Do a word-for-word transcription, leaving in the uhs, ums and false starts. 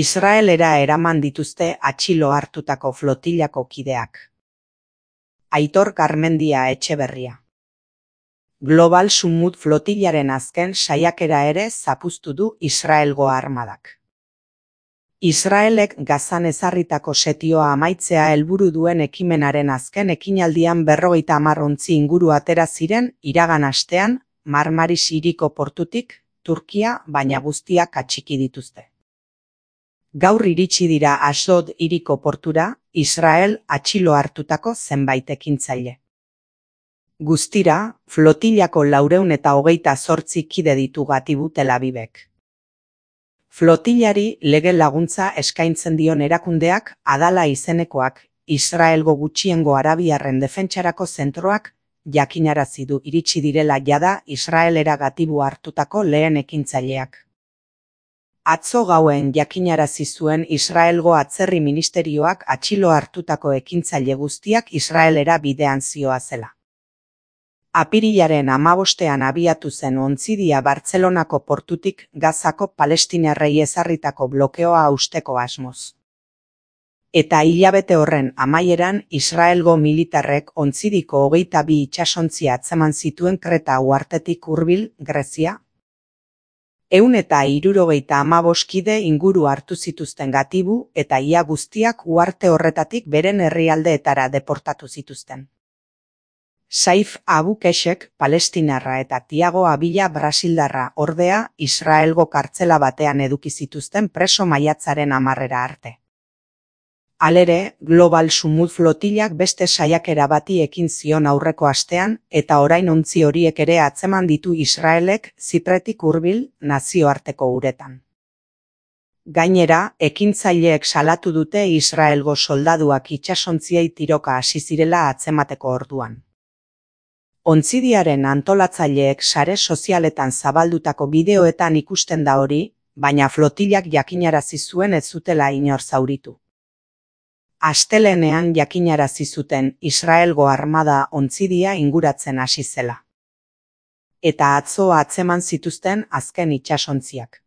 Israelera eraman dituzte atxilo hartutako flotillako kideak. Aitor Garmendia Etxeberria. Global Sumut flotillaren azken saiakera ere zapuztu du Israelgo armadak. Israelek Gazan ezarritako setioa amaitzea helburu duen ekimenaren azken ekinaldian berrogeita hamar ontzi inguru atera ziren iragan astean Marmaris hiriko portutik, Turkia baina guztiak atxiki dituzte. Gaur iritsi dira Asdod hiriko portura, Israel atxilo hartutako zenbait ekintzaile. Guztira, flotillako laurehun eta hogeita zortzi kide ditu Gatibu Tel Avivek. Flotillari lege laguntza eskaintzen dion erakundeak Adala izenekoak, Israelgo gutxiengo arabiarren defentsarako zentroak, jakinarazi du iritsi direla jada Israelera Gatibu hartutako lehen ekintzaileak. Atzo gauen jakinarazi zuen Israelgo atzerri ministerioak atxilo hartutako ekintzaile guztiak Israelera bidean zihoazela. Apirilaren hamabostean abiatu zen ontzidia Bartzelonako portutik Gazako palestinarrei ezarritako blokeoa hausteko asmoz. Eta hilabete horren amaieran Israelgo militarrek ontzidiko hogeita bi itsasontzi atzeman zituen Kreta uhartetik hurbil, Grezia. Ehun eta hirurogeita hamabost kide inguru hartu zituzten Gatibu eta ia guztiak uharte horretatik beren herrialdeetara deportatu zituzten. Saif Abu Keshek palestinarra eta Tiago Abila brasildarra ordea Israelgo kartzela batean eduki zituzten preso maiatzaren hamarrera arte. Halere, Global Sumut flotillak beste saiakera bati ekin zion aurreko astean eta orain ontzi horiek ere atzeman ditu Israelek Zipretik hurbil nazioarteko uretan. Gainera, ekintzaileek salatu dute Israelgo soldaduak itsasontziei tiroka hasi zirela atzemateko orduan. Ontzidiaren antolatzaileek sare sozialetan zabaldutako bideoetan ikusten da hori, baina flotillak jakinarazi zuen ez zutela inor zauritu. Astelehenean jakinarazi zuten Israelgo armada ontzidia inguratzen hasi zela. Eta atzo atzeman zituzten azken itsasontziak.